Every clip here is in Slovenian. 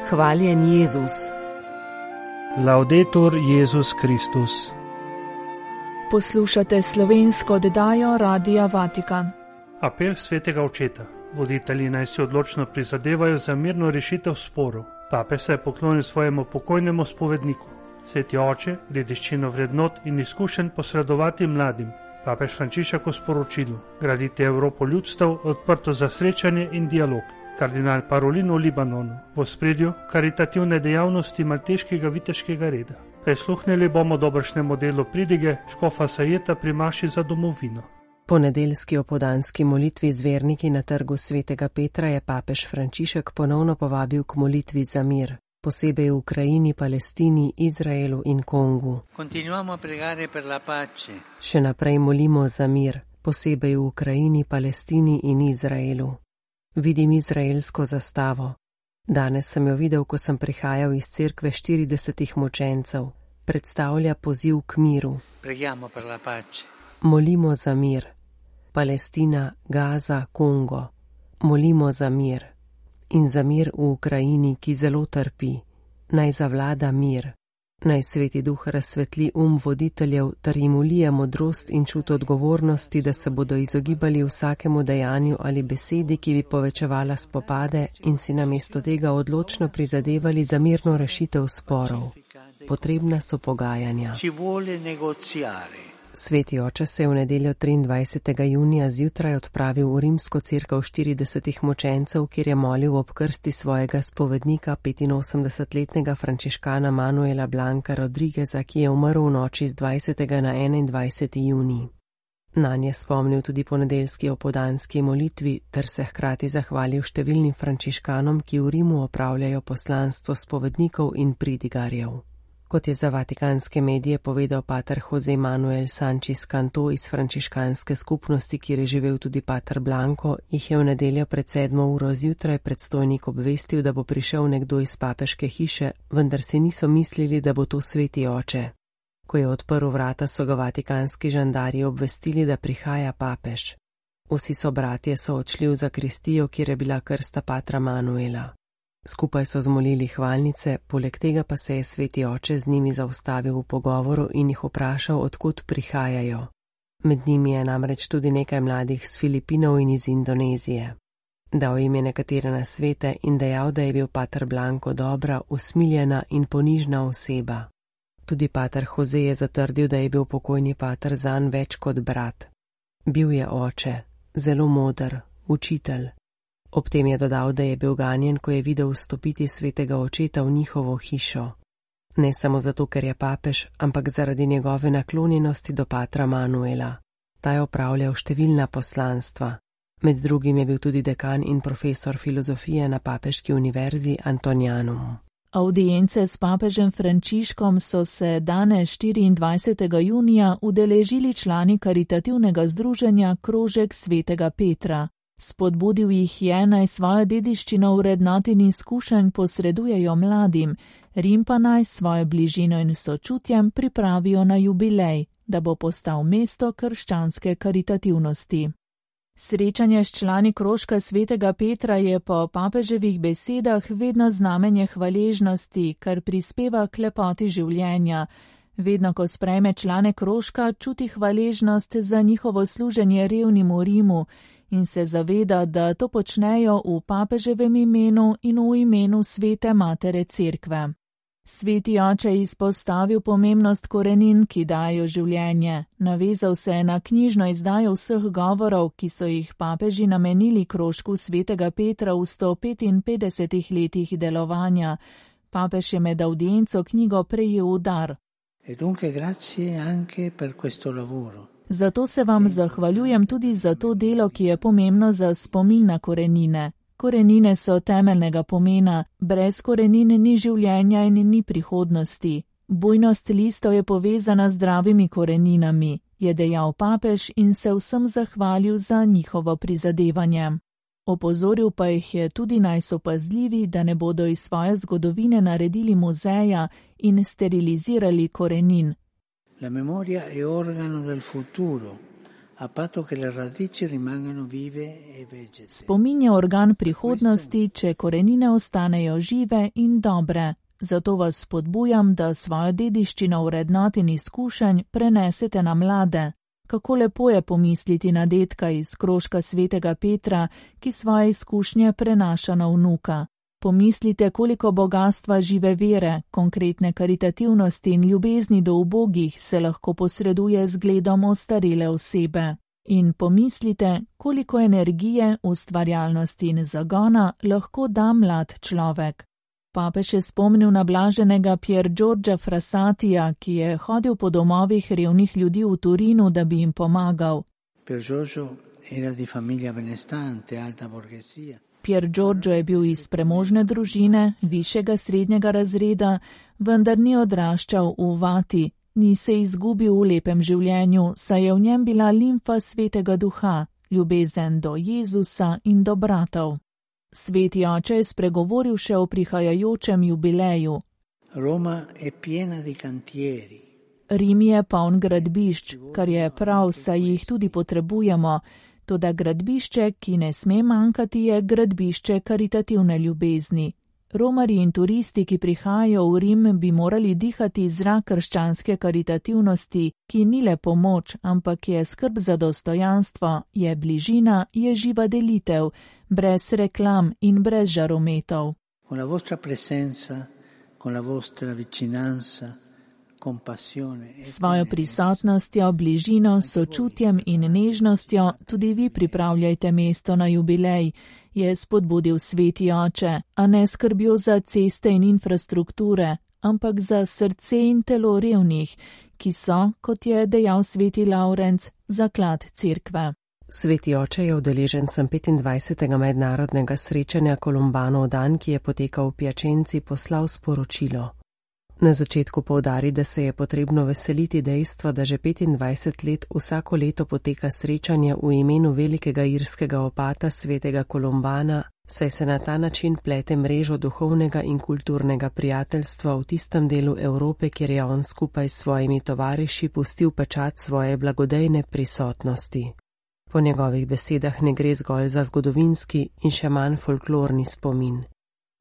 Hvaljen Jezus. Laudetur Jezus Kristus. Poslušate slovensko oddajo Radia Vatikan. Apel svetega očeta. Voditelji naj si odločno prizadevajo za mirno rešitev sporov. Papež se je poklonil svojemu pokojnemu spovedniku. Sveti oče, dediščino vrednot in izkušenj posredovati mladim. Papež Frančišek v sporočilu: graditi Evropo ljudstev, odprto za srečanje in dialog. Kardinal Parolin v Libanonu, v ospredju karitativne dejavnosti malteškega viteškega reda. Prisluhnili bomo dobršnemu delu pridige škofa Sajeta pri maši za domovino. Po nedeljski opoldanski molitvi z verniki na trgu svetega Petra je papež Frančišek ponovno povabil k molitvi za mir, posebej v Ukrajini, Palestini, Izraelu in Kongu. Še naprej molimo za mir, posebej v Ukrajini, Palestini in Izraelu. Vidim izraelsko zastavo. Danes sem jo videl, ko sem prihajal iz cerkve 40 mučencev. Predstavlja poziv k miru. Molimo za mir. Palestina, Gaza, Kongo. Molimo za mir. In za mir v Ukrajini, ki zelo trpi. Naj zavlada mir. Naj Sveti Duh razsvetli voditeljev ter jim ulije modrost in čut odgovornosti, da se bodo izogibali vsakemu dejanju ali besedi, ki bi povečevala spopade, in si namesto tega odločno prizadevali za mirno rešitev sporov. Potrebna so pogajanja. Sveti oče se je v nedeljo 23. junija zjutraj odpravil v rimsko cerkev 40 mučencev, kjer je molil ob krsti svojega spovednika, 85-letnega frančiškana Manuela Blanka Rodrigueza, ki je umrl v noči z 20. na 21. junij. Nanj je spomnil tudi po nedeljski opoldanski molitvi ter se hkrati zahvalil številnim frančiškanom, ki v Rimu opravljajo poslanstvo spovednikov in pridigarjev. Kot je za vatikanske medije povedal pater Jose Manuel Sanchez Canto iz frančiškanske skupnosti, kjer je živel tudi pater Blanko, jih je v nedeljo pred 7. uro zjutraj predstojnik obvestil, da bo prišel nekdo iz papeške hiše, vendar si niso mislili, da bo to sveti oče. Ko je odprl vrata, so ga vatikanski žandarji obvestili, da prihaja papež. Vsi sobratje so odšli v zakristijo, kjer je bila krsta patra Manuela. Skupaj so zmolili hvalnice, poleg tega pa se je sveti oče z njimi zaustavil v pogovoru in jih vprašal, odkud prihajajo. Med njimi je namreč tudi nekaj mladih z Filipinov in iz Indonezije. Dal jim je nekatere nasvete in dejal, da je bil pater Blanko dobra, usmiljena in ponižna oseba. Tudi pater Jose je zatrdil, da je bil pokojni pater zanj več kot brat. Bil je oče, zelo moder, učitelj. Ob tem je dodal, da je bil ganjen, ko je videl vstopiti svetega očeta v njihovo hišo. Ne samo zato, ker je papež, ampak zaradi njegove naklonjenosti do patra Manuela. Ta je opravljal številna poslanstva. Med drugim je bil tudi dekan in profesor filozofije na papeški univerzi Antonianum. Avdience s papežem Frančiškom so se danes 24. junija udeležili člani karitativnega združenja Krožek svetega Petra. Spodbudil jih je, naj svojo dediščino vrednot in izkušenj posredujejo mladim, Rim pa naj svojo bližino in sočutjem pripravijo na jubilej, da bo postal mesto krščanske karitativnosti. Srečanje s člani Krožka svetega Petra je po papeževih besedah vedno znamenje hvaležnosti, kar prispeva k lepoti življenja. Vedno, ko sprejme člane Krožka, čuti hvaležnost za njihovo služenje revnim v Rimu in se zaveda, da to počnejo v papeževem imenu in v imenu svete matere cerkve. Sveti oče je izpostavil pomembnost korenin, ki dajo življenje. Navezal se je na knjižno izdajo vseh govorov, ki so jih papeži namenili Krožku svetega Petra v 155 letih delovanja. Papež je med avdienco knjigo prejel v dar. Zato se vam zahvaljujem tudi za to delo, ki je pomembno za spomin na korenine. Korenine so temeljnega pomena, brez korenin ni življenja in ni prihodnosti. Bujnost listov je povezana z zdravimi koreninami, je dejal papež in se vsem zahvalil za njihovo prizadevanje. Opozoril pa jih je tudi, naj so pazljivi, da ne bodo iz svoje zgodovine naredili muzeja in sterilizirali korenin. La memoria è organo del futuro, Spomin je organ prihodnosti, če korenine ostanejo žive in dobre. Zato vas spodbujam, da svojo dediščino vrednot in izkušenj prenesete na mlade. Kako lepo je pomisliti na dedka iz krožka svetega Petra, ki svoje izkušnje prenaša na vnuka. Pomislite, koliko bogatstva žive vere, konkretne karitativnosti in ljubezni do ubogih se lahko posreduje z gledom ostarele osebe. In pomislite, koliko energije, ustvarjalnosti in zagona lahko da mlad človek. Papež je spomnil na blaženega Pier Giorgia Frassatija, ki je hodil po domovih revnih ljudi v Turinu, da bi jim pomagal. Pier Giorgio je bil iz premožne družine, višjega srednjega razreda, vendar ni odraščal v vati, ni se izgubil v lepem življenju, saj je v njem bila limfa svetega duha, ljubezen do Jezusa in do bratov. Sveti oče je spregovoril še o prihajajočem jubileju. Rim je poln gradbišč, kar je prav, saj jih tudi potrebujemo. Toda gradbišče, ki ne sme manjkati, je gradbišče karitativne ljubezni. Romarji in turisti, ki prihajajo v Rim, bi morali dihati zrak krščanske karitativnosti, ki ni le pomoč, ampak je skrb za dostojanstvo, je bližina, je živa delitev, brez reklam in brez žarometov. Svojo prisotnostjo, bližino, sočutjem in nežnostjo tudi vi pripravljajte mesto na jubilej, je spodbudil sveti oče, a ne skrbjo za ceste in infrastrukture, ampak za srce in telo revnih, ki so, kot je dejal sveti Lavrenc, zaklad cerkve. Sveti oče je udeležencem 25. mednarodnega srečanja Kolumbanov dan, ki je potekal v Piačenci, poslal sporočilo. Na začetku poudari, da se je potrebno veseliti dejstva, da že 25 let vsako leto poteka srečanje v imenu velikega irskega opata svetega Kolumbana, saj se na ta način plete mrežo duhovnega in kulturnega prijateljstva v tistem delu Evrope, kjer je on skupaj s svojimi tovariši pustil pečat svoje blagodejne prisotnosti. Po njegovih besedah ne gre zgolj za zgodovinski in še manj folklorni spomin.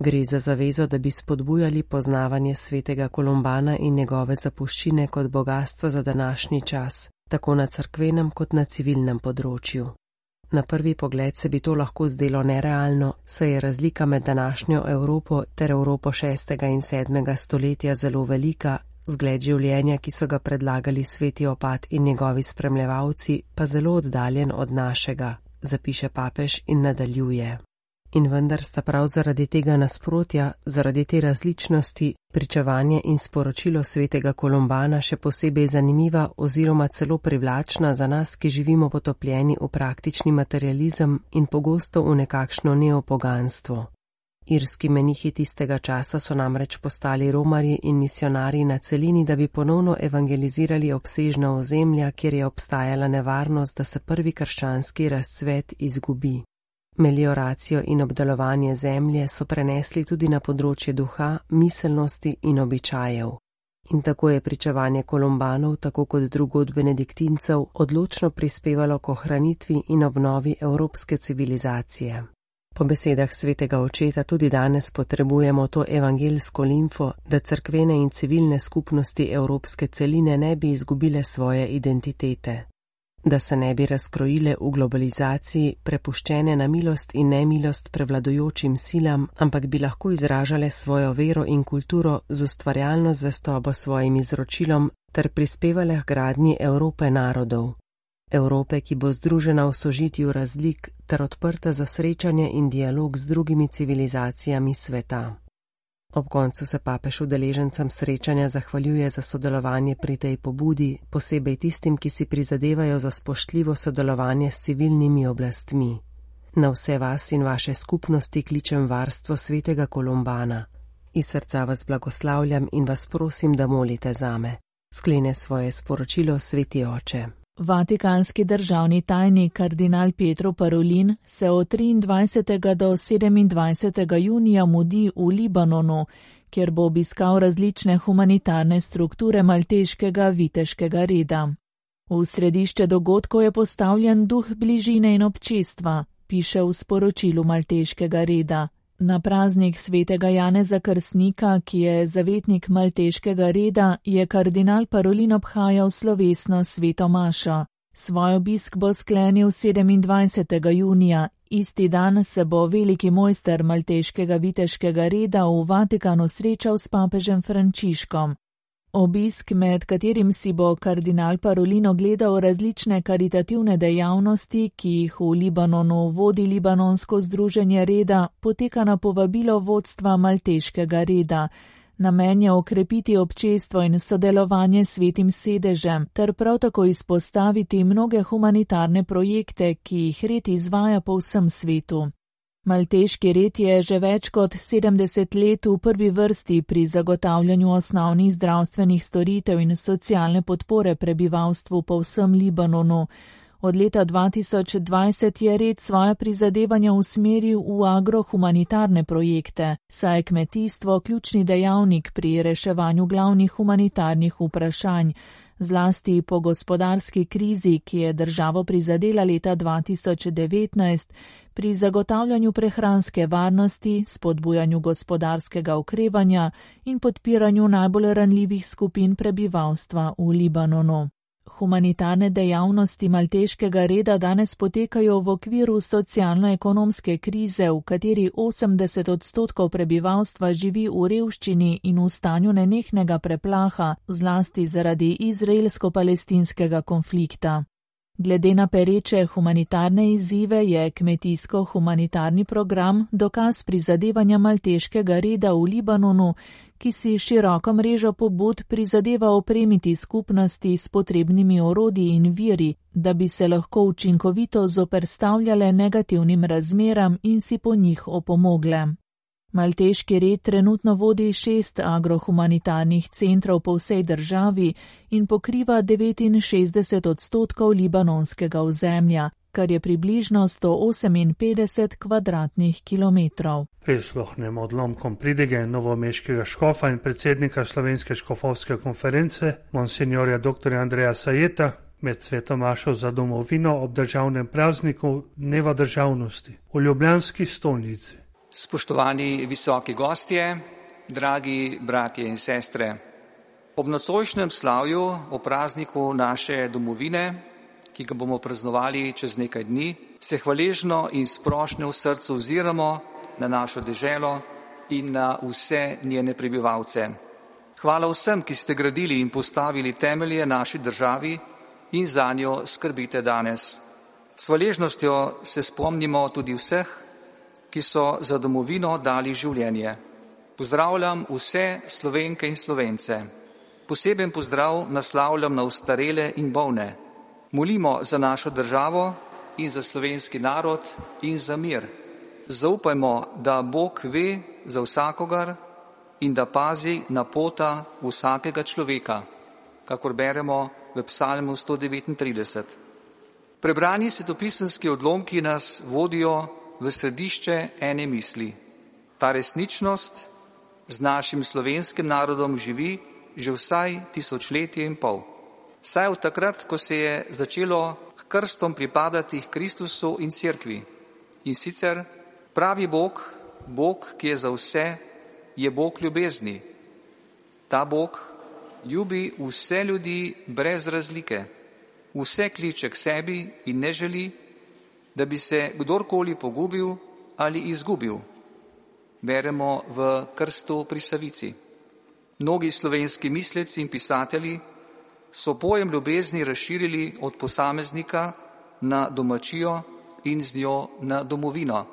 Gre za zavezo, da bi spodbujali poznavanje svetega Kolumbana in njegove zapuščine kot bogastvo za današnji čas, tako na cerkvenem kot na civilnem področju. Na prvi pogled se bi to lahko zdelo nerealno, saj je razlika med današnjo Evropo ter Evropo 6. in 7. stoletja zelo velika, zgled življenja, ki so ga predlagali sveti opat in njegovi spremljevalci, pa zelo oddaljen od našega, zapiše papež in nadaljuje. In vendar sta prav zaradi tega nasprotja, zaradi te različnosti, pričevanje in sporočilo svetega Kolumbana še posebej zanimiva oziroma celo privlačna za nas, ki živimo potopljeni v praktični materializem in pogosto v nekakšno neopoganstvo. Irski menihi tistega časa so namreč postali romarji in misionarji na celini, da bi ponovno evangelizirali obsežna ozemlja, kjer je obstajala nevarnost, da se prvi krščanski razcvet izgubi. Melioracijo in obdelovanje zemlje so prenesli tudi na področje duha, miselnosti in običajev. In tako je pričevanje Kolumbanov, tako kot drugod benediktincev, odločno prispevalo k ohranitvi in obnovi evropske civilizacije. Po besedah svetega očeta tudi danes potrebujemo to evangelsko limfo, da cerkvene in civilne skupnosti evropske celine ne bi izgubile svoje identitete. Da se ne bi razkrojile v globalizaciji, prepuščene na milost in nemilost prevladujočim silam, ampak bi lahko izražale svojo vero in kulturo z ustvarjalno zvestobo svojim izročilom ter prispevale k gradnji Evrope narodov. Evrope, ki bo združena v sožitju razlik ter odprta za srečanje in dialog z drugimi civilizacijami sveta. Ob koncu se papež udeležencem srečanja zahvaljuje za sodelovanje pri tej pobudi, posebej tistim, ki si prizadevajo za spoštljivo sodelovanje s civilnimi oblastmi. Na vse vas in vaše skupnosti kličem varstvo svetega Kolumbana. Iz srca vas blagoslavljam in vas prosim, da molite zame. Sklene svoje sporočilo sveti oče. Vatikanski državni tajnik kardinal Pietro Parolin se od 23. do 27. junija mudi v Libanonu, kjer bo obiskal različne humanitarne strukture malteškega viteškega reda. V središče dogodkov je postavljen duh bližine in občestva, piše v sporočilu Malteškega reda. Na praznik svetega Janeza Krstnika, ki je zavetnik Malteškega reda, je kardinal Parolin obhajal slovesno sveto mašo. Svoj obisk bo sklenil 27. junija. Isti dan se bo veliki mojster Malteškega viteškega reda v Vatikanu srečal s papežem Frančiškom. Obisk, med katerim si bo kardinal Parolin ogledal različne karitativne dejavnosti, ki jih v Libanonu vodi Libanonsko združenje reda, poteka na povabilo vodstva Malteškega reda. Namen je okrepiti občestvo in sodelovanje s Svetim sedežem, ter prav tako izpostaviti mnoge humanitarne projekte, ki jih red izvaja po vsem svetu. Malteški red je že več kot 70 let v prvi vrsti pri zagotavljanju osnovnih zdravstvenih storitev in socialne podpore prebivalstvu po vsem Libanonu. Od leta 2020 je red svoja prizadevanja usmeril v agrohumanitarne projekte, saj je kmetijstvo ključni dejavnik pri reševanju glavnih humanitarnih vprašanj, zlasti po gospodarski krizi, ki je državo prizadela leta 2019, pri zagotavljanju prehranske varnosti, spodbujanju gospodarskega okrevanja in podpiranju najbolj ranljivih skupin prebivalstva v Libanonu. Humanitarne dejavnosti Malteškega reda danes potekajo v okviru socialno-ekonomske krize, v kateri 80% prebivalstva živi v revščini in v stanju nenehnega preplaha, zlasti zaradi izraelsko-palestinskega konflikta. Glede na pereče humanitarne izzive je kmetijsko-humanitarni program dokaz prizadevanja Malteškega reda v Libanonu, ki si široko mrežo pobud prizadeva opremiti skupnosti s potrebnimi orodji in viri, da bi se lahko učinkovito zoperstavljale negativnim razmeram in si po njih opomogle. Malteški red trenutno vodi 6 agrohumanitarnih centrov po vsej državi in pokriva 69% libanonskega ozemlja, kar je približno 158 kvadratnih kilometrov. Prisluhnemo odlomkom pridige novomeškega škofa in predsednika Slovenske škofovske konference, monsinjorja dr. Andreja Sajeta, med sveto mašo za domovino ob državnem prazniku Dneva državnosti v ljubljanski stolnici. Spoštovani visoki gostje, dragi bratje in sestre, ob nocojšnjem slavju o prazniku naše domovine, ki ga bomo praznovali čez nekaj dni, se hvaležno in sproščno v srcu oziramo na našo deželo in na vse njene prebivalce. Hvala vsem, ki ste gradili in postavili temelje naši državi in zanjo skrbite danes. S hvaležnostjo se spomnimo tudi vseh, ki so za domovino dali življenje. Pozdravljam vse Slovenke in Slovence. Poseben pozdrav naslavljam na ostarele in bolne. Molimo za našo državo in za slovenski narod in za mir. Zaupajmo, da Bog ve za vsakogar in da pazi na pota vsakega človeka, kakor beremo v Psalmu 139. Prebrani svetopisemski odlomki nas vodijo v središče ene misli. Ta resničnost z našim slovenskim narodom živi že vsaj 1000 let. Saj od takrat, ko se je začelo krstom pripadati Kristusu in Cerkvi. In sicer pravi Bog, Bog, ki je za vse, je Bog ljubezni. Ta Bog ljubi vse ljudi brez razlike. Vse kliče k sebi in ne želi, da bi se kdorkoli pogubil ali izgubil. Beremo v krstu pri Savici. Mnogi slovenski misleci in pisatelji so pojem ljubezni razširili od posameznika na domačijo in z njo na domovino.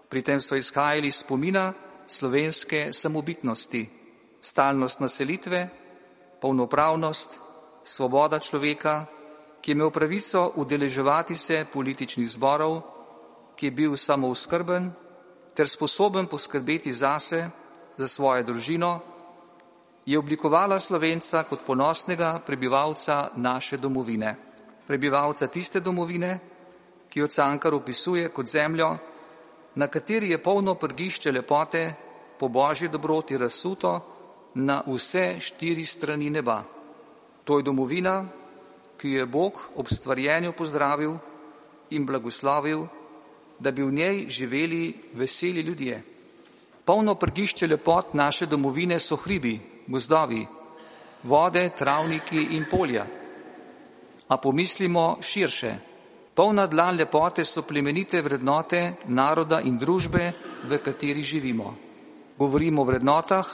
Pri tem so izhajali iz spomina slovenske samobitnosti, stalnost naselitve, polnopravnost, svoboda človeka, ki je imel pravico udeleževati se političnih zborov, ki je bil samooskrben ter sposoben poskrbeti zase, za svojo družino, je oblikovala Slovenca kot ponosnega prebivalca naše domovine. Prebivalca tiste domovine, ki jo Cankar opisuje kot zemljo, na kateri je polno prgišče lepote, po božji dobroti razsuto na vse 4 strani neba. To je domovina, ki jo je Bog ob stvarjenju pozdravil in blagoslovil, da bi v njej živeli veseli ljudje. Polno prgišče lepot naše domovine so hribi, gozdovi, vode, travniki in polja. A pomislimo širše. Polna dlan lepote so plemenite vrednote naroda in družbe, v kateri živimo. Govorimo o vrednotah,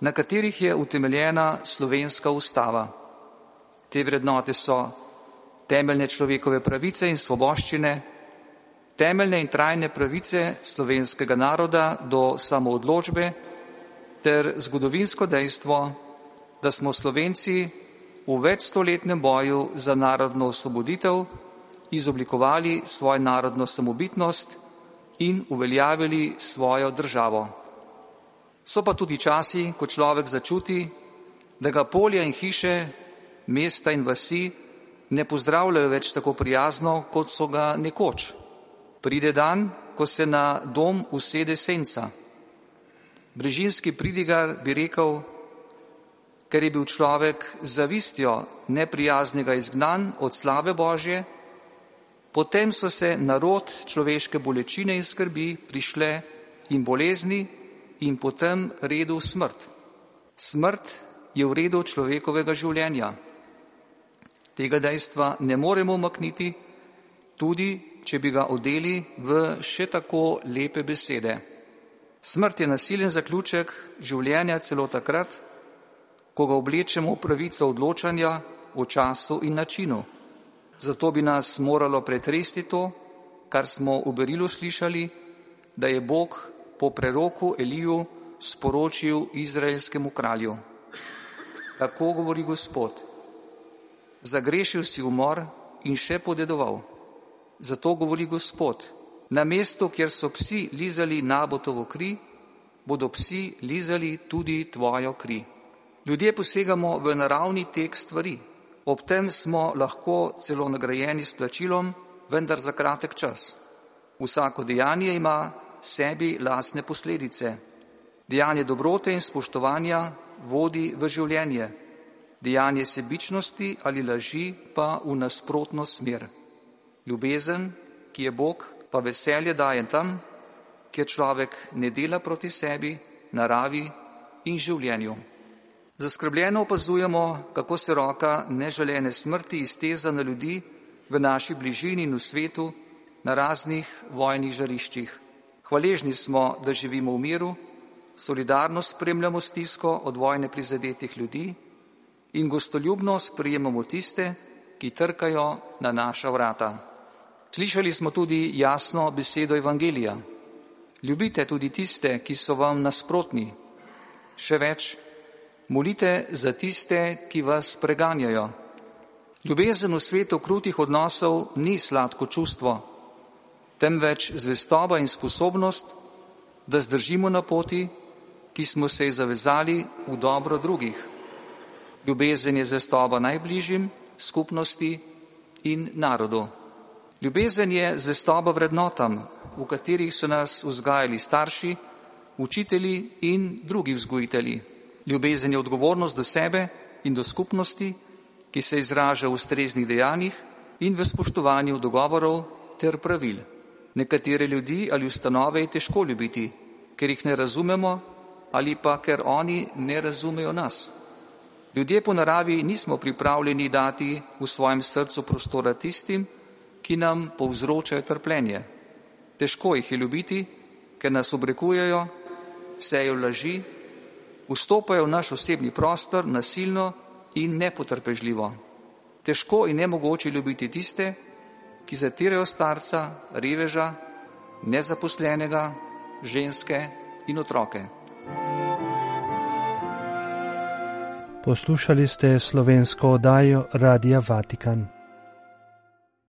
na katerih je utemeljena slovenska ustava. Te vrednote so temeljne človekove pravice in svoboščine, temeljne in trajne pravice slovenskega naroda do samoodločbe ter zgodovinsko dejstvo, da smo Slovenci v večstoletnem boju za narodno osvoboditev izoblikovali svojo narodno samobitnost in uveljavili svojo državo. So pa tudi časi, ko človek začuti, da ga polja in hiše, mesta in vasi ne pozdravljajo več tako prijazno, kot so ga nekoč. Pride dan, ko se na dom usede senca. Brežinski pridigar bi rekel, ker je bil človek z zavistjo neprijaznega izgnan od slave Božje, potem so se narod človeške bolečine in skrbi prišle in bolezni in potem redu smrt. Smrt je v redu človekovega življenja. Tega dejstva ne moremo umakniti, tudi če bi ga odeli v še tako lepe besede. Smrt je nasilen zaključek življenja celo takrat, ko ga oblečemo v pravico odločanja o času in načinu. Zato bi nas moralo pretresti to, kar smo v Berilu slišali, da je Bog po preroku Eliju sporočil izraelskemu kralju. Tako govori Gospod. Zagrešil si umor in še podedoval. Zato govori Gospod. Na mestu, kjer so psi lizali Nabotovo kri, bodo psi lizali tudi tvojo kri. Ljudje posegamo v naravni tek stvari. Ob tem smo lahko celo nagrajeni s plačilom, vendar za kratek čas. Vsako dejanje ima sebi lastne posledice. Dejanje dobrote in spoštovanja vodi v življenje. Dejanje sebičnosti ali laži pa v nasprotno smer. Ljubezen, ki je Bog, pa veselje daje tam, kjer človek ne dela proti sebi, naravi in življenju. Zaskrbljeno opazujemo, kako se roka neželene smrti izteza na ljudi v naši bližini in v svetu na raznih vojnih žariščih. Hvaležni smo, da živimo v miru, solidarno spremljamo stisko od vojne prizadetih ljudi in gostoljubno sprejemamo tiste, ki trkajo na naša vrata. Slišali smo tudi jasno besedo Evangelija. Ljubite tudi tiste, ki so vam nasprotni. Še več, molite za tiste, ki vas preganjajo. Ljubezen v svetu krutih odnosov ni sladko čustvo, temveč zvestoba in sposobnost, da zdržimo na poti, ki smo se ji zavezali v dobro drugih. Ljubezen je zvestoba najbližjim, skupnosti in narodu. Ljubezen je zvestoba vrednotam, v katerih so nas vzgajali starši, učitelji in drugi vzgojitelji. Ljubezen je odgovornost do sebe in do skupnosti, ki se izraža v ustreznih dejanjih in v spoštovanju dogovorov ter pravil. Nekatere ljudi ali ustanove je težko ljubiti, ker jih ne razumemo ali pa ker oni ne razumejo nas. Ljudje po naravi nismo pripravljeni dati v svojem srcu prostora tistim, ki nam povzročajo trpljenje. Težko jih je ljubiti, ker nas obrekujejo, sejo laži, vstopajo v naš osebni prostor nasilno in nepotrpežljivo. Težko in nemogoče ljubiti tiste, ki zatirajo starca, reveža, nezaposlenega, ženske in otroke. Poslušali ste slovensko oddajo Radia Vatikan.